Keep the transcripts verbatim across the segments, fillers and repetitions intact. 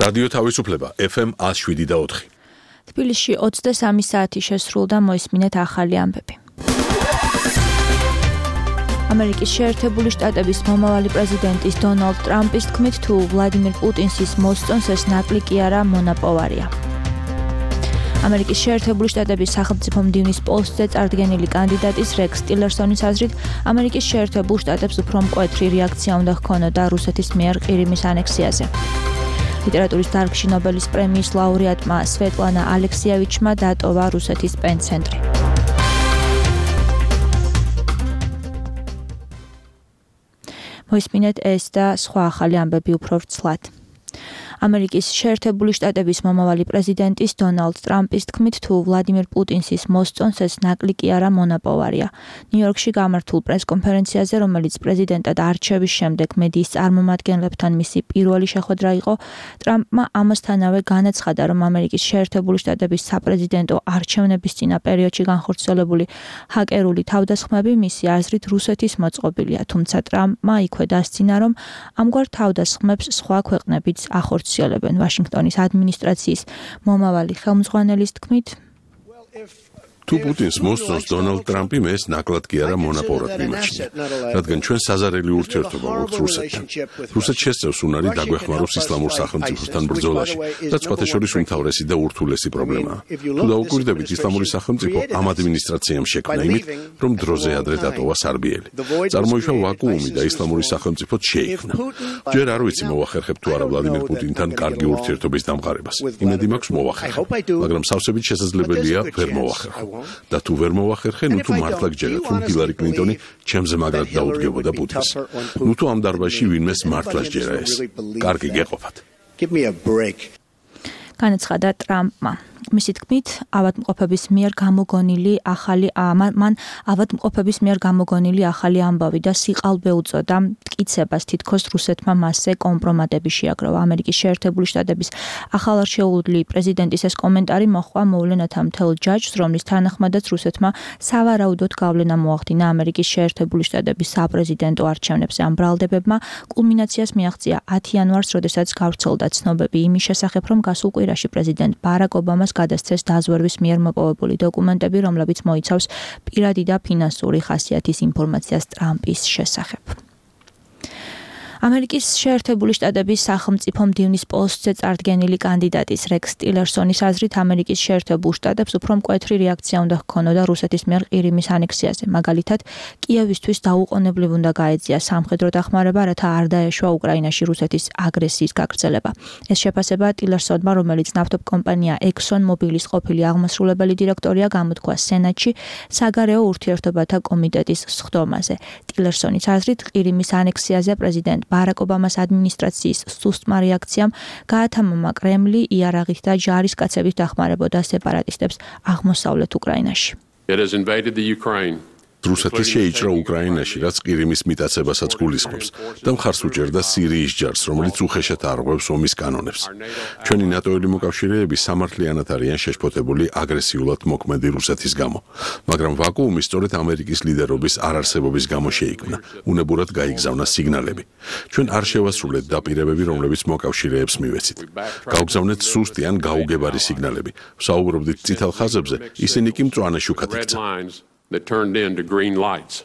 რადიო თავისუფლება ეფ ემ one oh seven და four. თბილისში ოცდასამი საათი შესრულდა, მოისმინეთ ახალი ამბები. ამერიკის შეერთებული შტატების მომავალი პრეზიდენტის დონალდ ტრამპის თქმით, თუ ვლადიმირ პუტინს ის მოსწონს, ეს ნაკლი კი არა, მონაპოვარია. ამერიკის შეერთებული შტატების სახელმწიფო მდივნის პოსტზე წარდგენილი კანდიდატის რექს ტილერსონის აზრით, ამერიკის შეერთებულ შტატებს უფრო მკვეთრი რეაქცია უნდა ჰქონოდა რუსეთის მიერ ყირიმის ანექსიაზე. ლიტერატურის დარგში ნობელის პრემიის ლაურეატმა სვეტლანა ალექსიევიჩმა დატოვა რუსეთის პენცენტრი. მოისმინეთ ეს და სხვა ახალი ამბები უფრო ვრცლად. ამერიკის შეერთებული შტატების მომავალი პრეზიდენტის დონალდ ტრამპის თქმით, თუ ვლადიმირ პუტინს ის მოსწონს, ეს ნაკლი კი არა, მონაპოვარია. ნიუ-იორკში გამართულ პრესკონფერენციაზე, რომელიც პრეზიდენტად არჩევის შემდეგ მედიის წარმომადგენლებთან მისი პირველი შეხვედრა იყო, ტრამპმა ამასთანავე განაცხადა, რომ ამერიკის შეერთებული შტატების საპრეზიდენტო არჩევნების წინა პერიოდში განხორციელებული ჰაკერული თავდასხმები მისი აზრით რუსეთის მოწყობილია, თუმცა ტრამპმა იქვე დასცინა, რომ ამგვარ თავდასხმებს სხვა ქვეყნებიც ახორციელებენ. ვაშინგტონის ადმინისტრაციის მომავალი ხელმძღვანელის თქმით, თუ პუტინს მოსწონს დონალდ ტრამპი, ეს ნაკლად კი არა მონაპოვრად მიმაჩნია, რადგან ჩვენ საზარელი ურთიერთობა გვაქვს რუსეთთან. რუსეთს შესწევს უნარი დაგვეხმაროს ისლამურ სახელმწიფოსთან ბრძოლაში, რაც სხვათა შორის უმთავრესი და ურთულესი პრობლემაა. თუ დაუკვირდებით, ისლამური სახელმწიფო ამ ადმინისტრაციამ შექმნა იმით, რომ დროზე ადრე დატოვა სარბიელი. წარმოიშვა ვაკუუმი და ისლამური სახელმწიფო შეიქმნა. ჯერ არ ვიცი მოვახერხებ თუ არა ვლადიმირ პუტინთან კარგი ურთიერთობის დამყარებას. იმედი მაქვს მოვახერხებ, მაგრამ სავსებით შესაძლებელია ვერ მოვახერხო. და თუ ვერ მოვახერხე, ნუ თუ მართლა გჯერათ, რომ ჰილარი კლინტონი ჩემზე მაგრად დაუდგებოდა პუტინს. ნუ თუ ამ დარბაზში ვინმეს მართლა სჯერა ეს. კარგი გეყოფათ. განაცხადა ტრამპმა. მისი თქმით, ავადმყოფების მიერ გამოგონილი ახალი მან ავადმყოფების მიერ გამოგონილი ახალი ამბავი და სიყალბე უწოდა მტკიცებას, თითქოს რუსეთმა მასზე კომპრომატები შეაგროვა. ამერიკის შეერთებული შტატების ახალარჩეული პრეზიდენტის ეს კომენტარი მოჰყვა მოვლენათა მთელ ჯაჭვს, რომლის თანახმადაც რუსეთმა სავარაუდოდ გავლენა მოახდინა ამერიკის შეერთებული შტატების საპრეზიდენტო არჩევნებზე. ამ ბრალდებებმა კულმინაციას მიაღწია ათი იანვარს, როდესაც გავრცელდა ცნობები იმის შესახებ, რომ გასულ კვირაში პრეზიდენტ ბარაკ ობამას გადასცეს დაზვერვის მიერ მოპოვებული დოკუმენტები, რომლებიც მოიცავს პირადი და ფინანსური ხასიათის ინფორმაციას ტრამპის შესახებ. ამერიკის შეერთებული შტატების სახელმწიფო მდივნის პოსტზე წარდგენილი კანდიდატის რექს ტილერსონის აზრით, ამერიკის შეერთებულ შტატებს უფრო მკვეთრი რეაქცია უნდა ჰქონოდა რუსეთის მიერ ყირიმის ანექსიაზე. მაგალითად, კიევისთვის დაუყოვნებლივ უნდა გაეწია სამხედრო დახმარება, რათა არ დაეშვა უკრაინაში რუსეთის აგრესიის გაგრძელება. ეს შეფასება ტილერსონმა, რომელიც ნავთობ კომპანია ექსონ მობილის ყოფილი აღმასრულებელი დირექტორია, გამოთქვა სენატში საგარეო ურთიერთობათა კომიტეტის სხდომაზე. ტილერსონის აზრით, ყირიმის ანექსიაზე პრეზიდენტ ბარაკ ობამას ადმინისტრაციის სუსტმა რეაქციამ გაათამამა კრემლი იარაღით და ჯარისკაცებით დახმარებოდა სეპარატისტებს აღმოსავლეთ უკრაინაში. რუსეთი შეიჭრა უკრაინაში, რაც ყირიმის მიტაცებასაც გულისხმობს და მხარს უჭერდა სირიის ჯარს, რომელიც უხეშად არღვევს ომის კანონებს. ჩვენი ნატოელი მოკავშირეები სამართლიანად არიან შეშფოთებული აგრესიულად მოქმედი რუსეთის გამო, მაგრამ ვაკუუმი სწორედ ამერიკის ლიდერობის არარსებობის გამო შეიქმნა. უნებურად გაიგზავნა სიგნალები. ჩვენ არ შევასრულეთ დაპირებები, რომლებიც მოკავშირეებს მივეცით. გავგზავნეთ სუსტი ან გაუგებარი სიგნალები. ვსაუბრობდით წითელ ხაზებზე, ისინი კი მწვანე შუქად იქცა. that turned into green lights.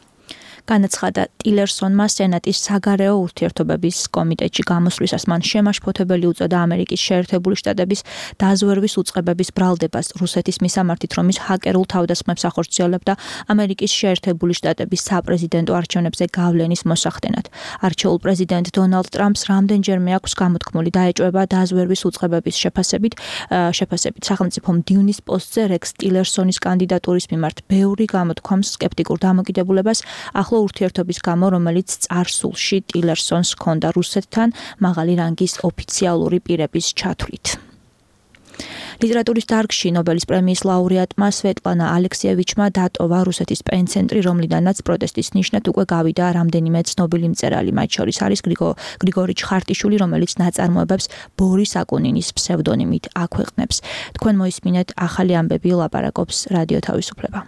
განაცხადა ტილერსონმა სენატის საგარეო ურთიერთობების კომიტეტში გამოსვლისას. მან შემაშფოთებელი უწოდა ამერიკის შეერთებული შტატების დაზვერვის უწყებების ბრალდებას რუსეთის მისამართით, რომ ის ჰაკერულ თავდასხმებს ახორციელებდა ამერიკის შეერთებული შტატების საპრეზიდენტო არჩევნებზე გავლენის მოსახდენად. არჩეულ პრეზიდენტ დონალდ ტრამპს რამდენჯერმე აქვს გამოთქმული დაეჭვება დაზვერვის უწყებების შეფასებით, შეფასებით სახელმწიფო მდივნის პოსტზე რექს ტილერსონის კანდიდატურის მიმართ ბევრი გამოთქვამს სკეპტიკურ დამოკიდებულებას, ახლა ურთიერთობის გამო, რომელიც წარსულში ტილერსონს ჰქონდა რუსეთთან მაღალი რანგის ოფიციალური პირების ჩათვლით. ლიტერატურის დარგში ნობელის პრემიის ლაურეატმა სვეტლანა ალექსიევიჩმა დატოვა რუსეთის პენცენტრი, რომლიდანაც პროტესტის ნიშნად უკვე გავიდა რამდენიმე ცნობილი მწერალი, მათ შორის არის გრიგორი ჩხარტიშვილი, რომელიც ნაწარმოებებს ბორის აკუნინის ფსევდონიმით აქვეყნებს. თქვენ მოისმინეთ ახალი ამბები, ლაპარაკობს რადიო თავისუფლება.